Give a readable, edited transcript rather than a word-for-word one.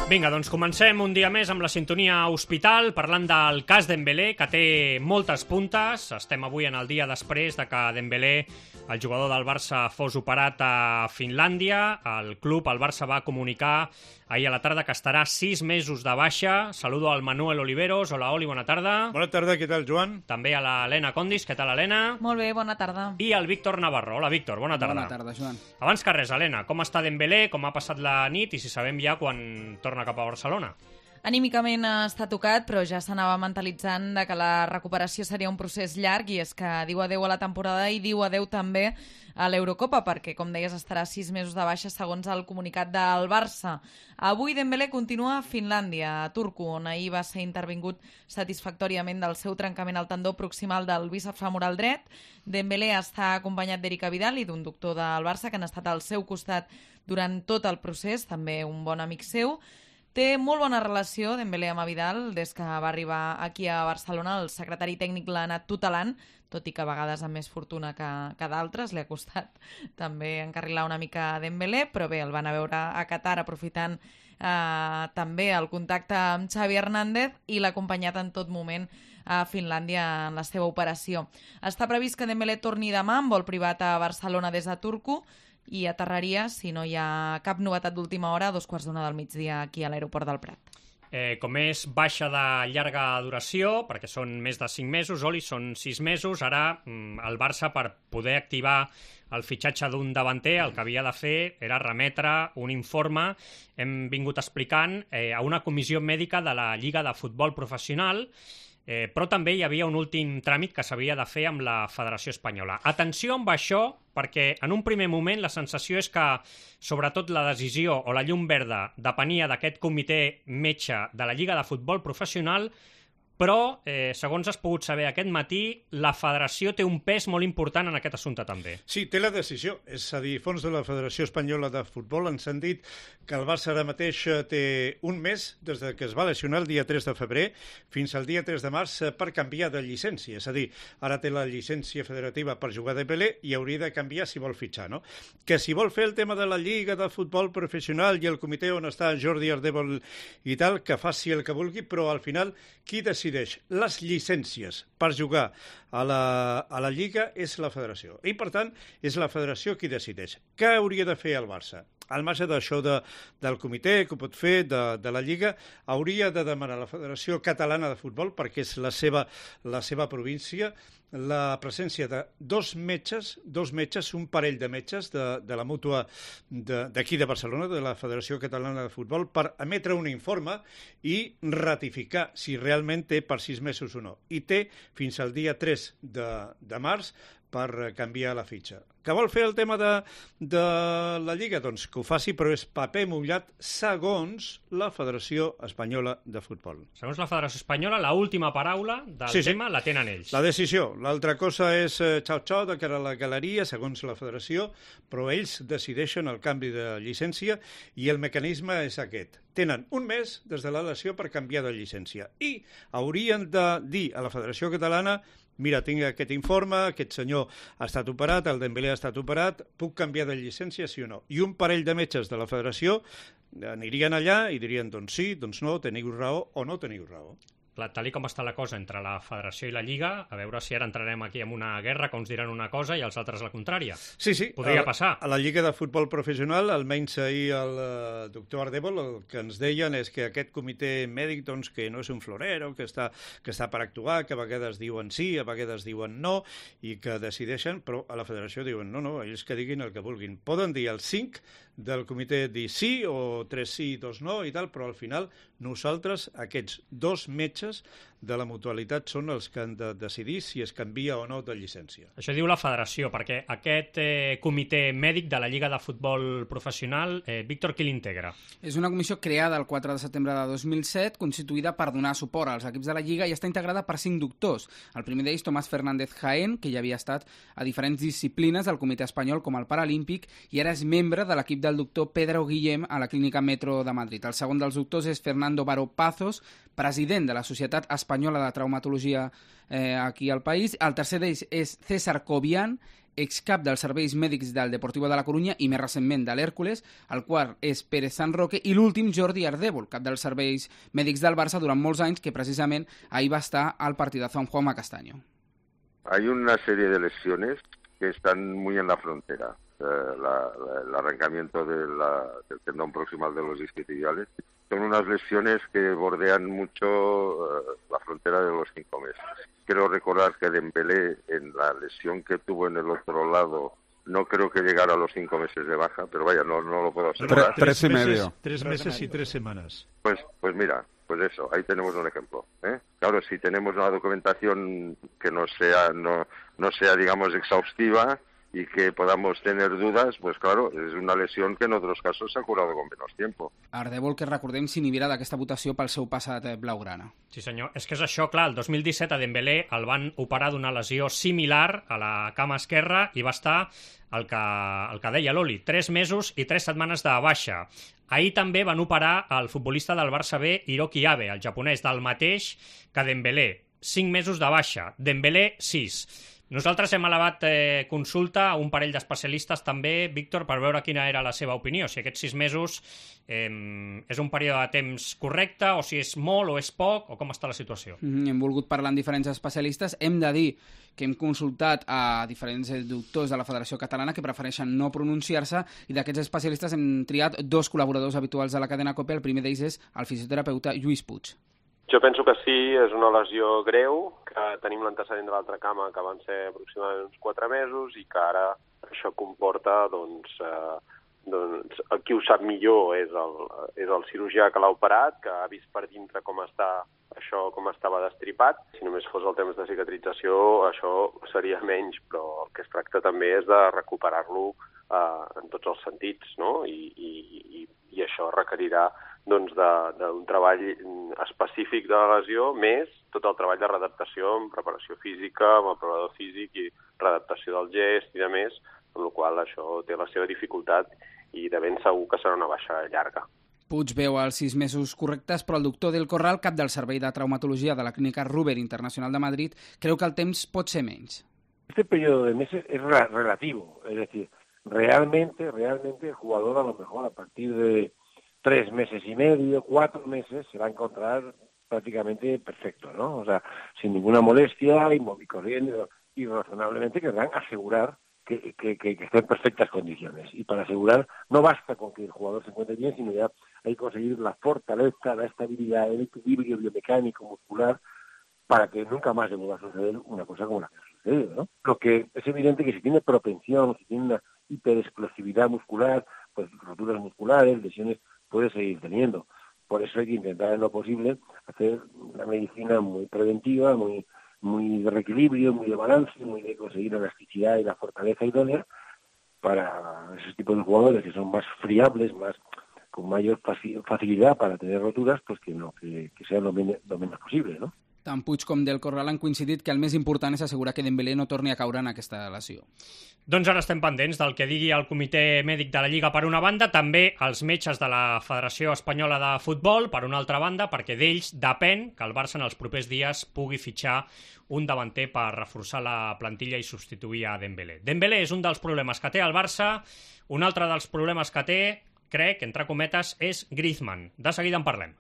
Vinga, doncs comencem un dia més amb la sintonia Hospital, parlant del cas Dembélé, que té moltes puntes. Estem avui en el dia després de que Dembélé, el jugador del Barça, fos operat a Finlàndia. El club, el Barça, va comunicar ahir a la tarda que estarà 6 mesos de baixa. Saludo al Manuel Oliveros. Hola, Oli, bona tarda. Bona tarda, què tal, Joan? També a l'Helena Condis. Què tal, Helena? Molt bé, bona tarda. I al Víctor Navarro. Hola, Víctor, bona tarda. Bona tarda, Joan. Abans que res, Helena, com està Dembélé, com ha passat la nit i si sabem ja quan torna cap a Barcelona? Anímicament està tocat, però ja s'anava mentalitzant de que la recuperació seria un procés llarg i és que diu adeu a la temporada i diu adeu també a l'Eurocopa, perquè, com deies, estarà 6 mesos de baixa segons el comunicat del Barça. Avui Dembélé continua a Finlàndia, a Turku, on ahir va ser intervingut satisfactòriament del seu trencament al tendó proximal del bíceps femoral dret. Dembélé està acompanyat d'Erika Vidal i d'un doctor del Barça que han estat al seu costat durant tot el procés, també un bon amic seu. Té molt bona relació Dembélé amb Vidal des que va arribar aquí a Barcelona. El secretari tècnic l'ha anat tutelant, tot i que a vegades amb més fortuna que d'altres. Li ha costat també encarrilar una mica a Dembélé, però bé, el van a veure a Qatar aprofitant també el contacte amb Xavi Hernández i l'ha acompanyat en tot moment a Finlàndia en la seva operació. Està previst que Dembélé torni demà en vol privat a Barcelona des de Turku i aterraria, si no hi ha cap novetat d'última hora, a 2:15 del migdia aquí a l'aeroport del Prat. Com és baixa de llarga duració, perquè són més de 5 mesos, Oli, són 6 mesos, ara el Barça, per poder activar el fitxatge d'un davanter, el que havia de fer era remetre un informe, hem vingut explicant, a una comissió mèdica de la Lliga de Futbol Professional, però també hi havia un últim tràmit que s'havia de fer amb la Federació Espanyola. Atenció amb això, perquè en un primer moment la sensació és que sobretot la decisió o la llum verda depenia d'aquest comitè metge de la Lliga de Futbol Professional, però, segons has pogut saber aquest matí, la federació té un pes molt important en aquest assumpte també. Sí, té la decisió. És a dir, fons de la Federació Espanyola de Futbol ens han dit que el Barça ara mateix té un mes des que es va lesionar el dia 3 de febrer fins al dia 3 de març per canviar de llicència. És a dir, ara té la llicència federativa per jugar de Dembélé i hauria de canviar si vol fitxar, no? Que si vol fer el tema de la Lliga de Futbol Professional i el comitè on està Jordi Ardèvol i tal, que faci el que vulgui, però al final qui decideix les llicències per jugar a la Lliga és la federació. I, per tant, és la federació qui decideix. Què hauria de fer el Barça? Al marge d'això del comitè que ho pot fer, de la Lliga, hauria de demanar a la Federació Catalana de Futbol, perquè és la seva província, la presència de dos metges, un parell de metges de la mútua d'aquí de Barcelona, de la Federació Catalana de Futbol, per emetre un informe i ratificar si realment té per 6 mesos o no. I té fins al dia 3 de març per canviar la fitxa. Que vol fer el tema de la Lliga? Doncs que ho faci, però és paper mullat segons la Federació Espanyola de Futbol. Segons la Federació Espanyola, l'última paraula del tema la tenen ells. La decisió. L'altra cosa és xau-xau de cara a la galeria, segons la Federació, però ells decideixen el canvi de llicència i el mecanisme és aquest. Tenen un mes des de la lesió per canviar de llicència i haurien de dir a la Federació Catalana: mira, tinc aquest informe, aquest senyor ha estat operat, el Dembélé ha estat operat, puc canviar de llicència, sí o no? I un parell de metges de la federació anirien allà i dirien, doncs sí, doncs no, teniu raó o no teniu raó. Tal com està la cosa entre la Federació i la Lliga, a veure si ara entrarem aquí en una guerra que uns diran una cosa i els altres la contrària. Sí. Podria passar. A la Lliga de Futbol Professional, almenys ahir el doctor Ardèvol, el que ens deien és que aquest comitè mèdic, doncs, que no és un florero, que està per actuar, que a vegades diuen sí, a vegades diuen no, i que decideixen, però a la Federació diuen no, ells que diguin el que vulguin. Poden dir el 5 del comitè dir sí, o 3 sí, 2 no, i tal, però al final nosaltres, aquests dos metges de la mutualitat, són els que han de decidir si es canvia o no de llicència. Això diu la federació, perquè aquest comitè mèdic de la Lliga de Futbol Professional, Víctor, qui l'integra? És una comissió creada el 4 de setembre de 2007, constituïda per donar suport als equips de la Lliga i està integrada per 5 doctors. El primer d'ells, Tomás Fernández Jaén, que ja havia estat a diferents disciplines del comitè espanyol com el Paralímpic i ara és membre de l'equip del doctor Pedro Guillem a la Clínica Metro de Madrid. El segon dels doctors és Fernando Baró Pazos, president de la Societat Espanyola de Traumatologia aquí al país. El tercer d'ells és César Cobian, excap dels serveis mèdics del Deportivo de la Corunya i més recentment de l'Hèrcules, el quart és Pérez San Roque i l'últim Jordi Ardèvol, cap dels serveis mèdics del Barça durant molts anys, que precisament ahir va estar al partidazo amb Juanma Castaño. Hay una serie de lesiones que están muy en la frontera. El arrancamiento del tendón proximal de los isquiotibiales. Son unas lesiones que bordean mucho la frontera de los 5 meses. Quiero recordar que Dembélé, en la lesión que tuvo en el otro lado, no creo que llegara a los 5 meses de baja, pero vaya, no lo puedo asegurar. 3 y medio. 3 meses y 3 semanas. Pues mira, pues eso, ahí tenemos un ejemplo. Claro, si tenemos una documentación que no sea, digamos, exhaustiva y que podamos tener dudas, pues claro, es una lesión que en otros casos s'ha curado con menos tiempo. Ardèvol, que recordem, s'inhibirà d'aquesta votació pel seu passat blaugrana. Sí, senyor. És que és això, clar, el 2017 a Dembélé el van operar d'una lesió similar a la cama esquerra i va estar el que deia l'Oli, 3 mesos i 3 setmanes de baixa. Ahir també van operar el futbolista del Barça B, Hiroki Abe, el japonès, del mateix que Dembélé. 5 mesos de baixa. Dembélé, 6. Nosaltres hem elevat consulta a un parell d'especialistes també, Víctor, per veure quina era la seva opinió, si aquests 6 mesos és un període de temps correcte, o si és molt o és poc, o com està la situació. Hem volgut parlar amb diferents especialistes. Hem de dir que hem consultat a diferents doctors de la Federació Catalana que prefereixen no pronunciar-se, i d'aquests especialistes hem triat 2 col·laboradors habituals de la cadena COPE. El primer d'ells és el fisioterapeuta Lluís Puig. Jo penso que sí, és una lesió greu, que tenim l'antecedent de l'altra cama, que van ser aproximadament uns 4 mesos, i que ara això comporta, doncs qui ho sap millor és el cirurgià que l'ha operat, que ha vist per dintre com estava destripat. Si només fos el temps de cicatrització, això seria menys, però el que es tracta també és de recuperar-lo en tots els sentits, no? I això requerirà d'un treball específic de la lesió, més tot el treball de readaptació amb preparació física, amb el preparador físic i readaptació del gest i de més, amb la qual això té la seva dificultat i de ben segur que serà una baixa llarga. Puig veu els 6 mesos correctes, però el doctor del Corral, cap del Servei de Traumatologia de la Clínica Ruber Internacional de Madrid, creu que el temps pot ser menys. Este periodo de meses es relativo, es decir, realmente el jugador a lo mejor a partir de 3 meses y medio, 4 meses, se va a encontrar prácticamente perfecto, ¿no? O sea, sin ninguna molestia y corriendo y razonablemente querrán asegurar que esté en perfectas condiciones. Y para asegurar no basta con que el jugador se encuentre bien, sino ya hay que conseguir la fortaleza, la estabilidad, el equilibrio biomecánico, muscular, para que nunca más le vuelva a suceder una cosa como la que ha sucedido, ¿no? Lo que es evidente que si tiene propensión, si tiene una hiperexplosividad muscular, pues roturas musculares, lesiones, puede seguir teniendo. Por eso hay que intentar en lo posible hacer una medicina muy preventiva, muy de reequilibrio, muy de balance, muy de conseguir la elasticidad y la fortaleza idónea para esos tipos de jugadores que son más friables, con mayor facilidad para tener roturas, pues que sea lo menos posible, ¿no? Tant Puig com del Corral han coincidit que el més important és assegurar que Dembélé no torni a caure en aquesta lesió. Doncs ara estem pendents del que digui el comitè mèdic de la Lliga per una banda, també els metges de la Federació Espanyola de Futbol per una altra banda, perquè d'ells depèn que el Barça en els propers dies pugui fitxar un davanter per reforçar la plantilla i substituir a Dembélé. Dembélé és un dels problemes que té el Barça, un altre dels problemes que té, crec, entre cometes, és Griezmann. De seguida en parlem.